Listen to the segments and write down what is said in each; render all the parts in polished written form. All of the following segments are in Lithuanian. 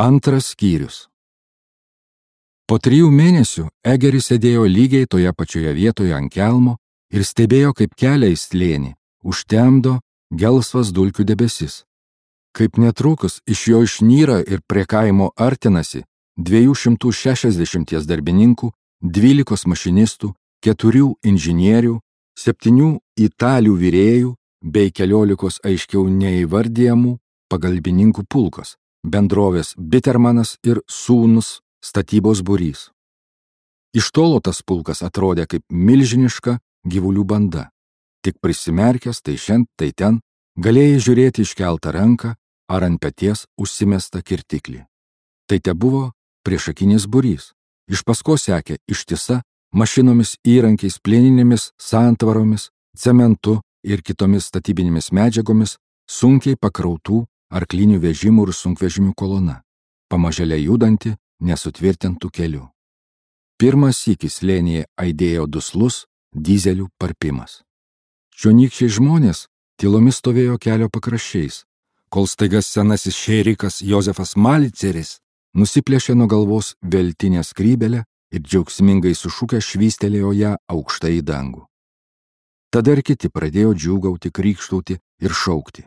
Antras skyrius. Po 3 mėnesių Egeris sėdėjo lygiai toje pačioje vietoje ant kelmo ir stebėjo, kaip kelią į slėnį užtemdo gelsvas dulkių debesis. Kaip netrukus iš jo išnyra ir prie kaimo artinasi 260 darbininkų, 12 mašinistų, 4 inžinierių, 7 italių virėjų bei 14 aiškiau neįvardijamų pagalbininkų pulkas, bendrovės Bittermanas ir sūnus statybos būrys. Iš tolo tas pulkas atrodė kaip milžiniška gyvulių banda. Tik prisimerkęs tai šen, tai ten, galėjai žiūrėti iškeltą ranką ar ant peties užsimestą kirtiklį. Tai tebuvo priešakinis būrys. Iš paskos sekė ištisa mašinomis, įrankiais, plieninėmis santvaromis, cementu ir kitomis statybinėmis medžiagomis sunkiai pakrautų arklinių vežimų ir sunkvežimių kolona, pamažėle judanti nesutvirtintų kelių. Pirmas sykis slėnyje aidėjo duslus dizelių parpimas. Čionykščiai žmonės tylomis stovėjo kelio pakraščiais, kol staiga senasis šėrikas Jozefas Maliceris nusiplėšė nuo galvos veltinę skrybelę ir džiaugsmingai sušukę švystelėjo ją aukštai į dangų. Tada ir kiti pradėjo džiūgauti, krykštauti ir šaukti.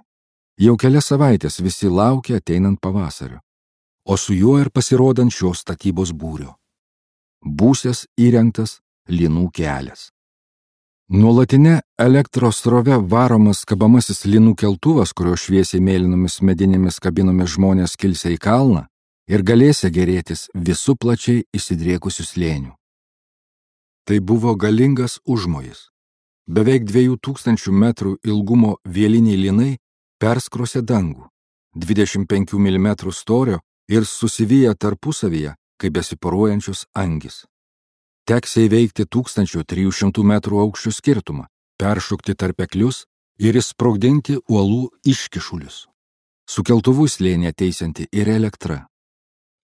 Jau kelias savaitės visi laukė ateinant pavasario, o su juo ir pasirodant šios statybos būrio. Būsės įrengtas linų kelias. Nuolatinė elektros srove varomas kabamasis linų keltuvas, kurio šviesiai mėlynomis medinėmis kabinomis žmonės kilsia į kalną ir galėsia gerėtis visų plačiai įsidriekusių slėnių. Tai buvo galingas užmojis. Beveik 2000 metrų ilgumo vieliniai linai perskrosė dangų, 25 mm storio ir susiviję tarpusavyje, kaip besiporuojančios angys. Teks įveikti 1300 metrų aukščio skirtumą, peršokti tarpeklius ir įsprogdinti uolų iškišulius. Su keltuvu slėnį ateisianti ir elektra.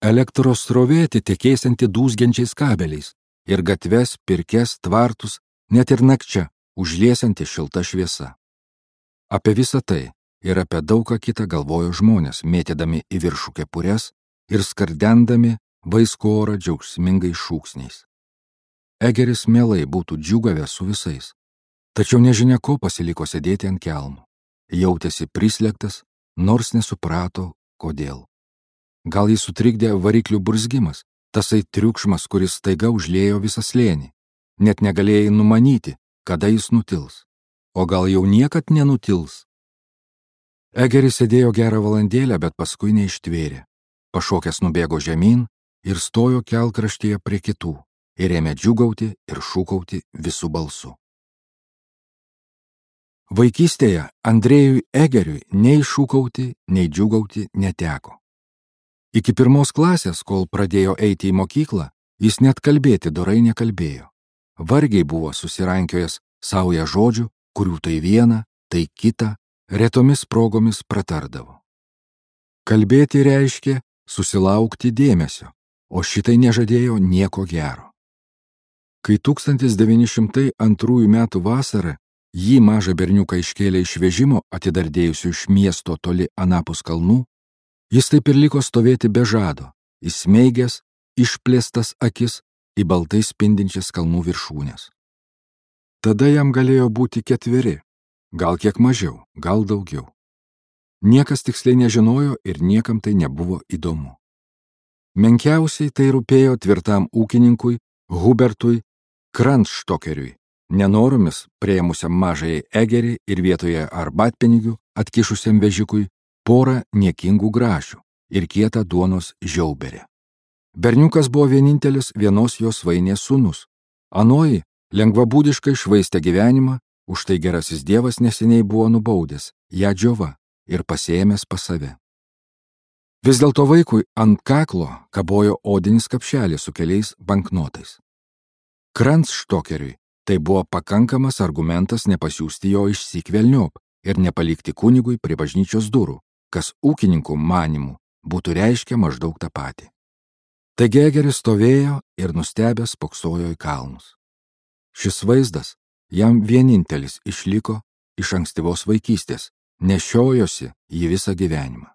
Elektros srovė atitekėsianti dūzgiančiais kabeliais ir gatves, pirkes, tvartus, net ir nakčia užliesianti šilta šviesa. Apie visą tai ir apie daug ką kitą galvojo žmonės, mėtydami į viršų kepures ir skardendami vaiskų orą džiaugsmingais šūksniais. Egeris mielai būtų džiūgavęs su visais, tačiau nežinia ko pasiliko sėdėti ant kelmo. Jautėsi prislėgtas, nors nesuprato, kodėl. Gal jį sutrikdė variklių burzgimas, tasai triukšmas, kuris staiga užliejo visą slėnį. Net negalėjai numanyti, kada jis nutils. O gal jau niekad nenutils? Egeris sėdėjo gerą valandėlę, bet paskui neištvėrė. Pašokęs nubėgo žemyn ir stojo kelkraštyje prie kitų ir ėmė džiūgauti ir šūkauti visų balsu. Vaikystėje Andrėjui Egeriui nei šūkauti, nei džiūgauti neteko. Iki 1 klasės, kol pradėjo eiti į mokyklą, jis net kalbėti dorai nekalbėjo. Vargiai buvo susirankiojęs saują žodžių, kurių tai viena, tai kita, retomis progomis pratardavo. Kalbėti reiškė susilaukti dėmesio, o šitai nežadėjo nieko gero. Kai 1902 metų vasarą jį mažą berniuką iškėlė iš vežimo atidardėjusių iš miesto toli anapus kalnų, jis taip ir liko stovėti be žado, įsmeigęs, išplėstas akis į baltai spindinčias kalnų viršūnės. Tada jam galėjo būti 4, gal kiek mažiau, gal daugiau. Niekas tiksliai nežinojo ir niekam tai nebuvo įdomu. Menkiausiai tai rūpėjo tvirtam ūkininkui Hubertui Kranstokeriui, nenoromis priėmusiam mažąjį Egerį ir vietoje arbatpinigių atkišusiam vežikui porą niekingų grašių ir kietą duonos žiauberę. Berniukas buvo vienintelis vienos jos svainės sūnus. Anoji lengvabūdiškai švaistė gyvenimą, už tai gerasis dievas neseniai buvo nubaudęs ją džiova ir pasiėmęs pas save. Vis dėlto vaikui ant kaklo kabojo odinis kapšelis su keliais banknotais. Kranstokeriui tai buvo pakankamas argumentas nepasiųsti jo išsyk velniop ir nepalikti kunigui prie bažnyčios durų, kas ūkininkų manimų būtų reiškę maždaug tą patį. Taigi Egeris stovėjo ir nustebęs spoksojo į kalnus. Šis vaizdas jam vienintelis išliko iš ankstyvos vaikystės, nešiojosi jį visą gyvenimą.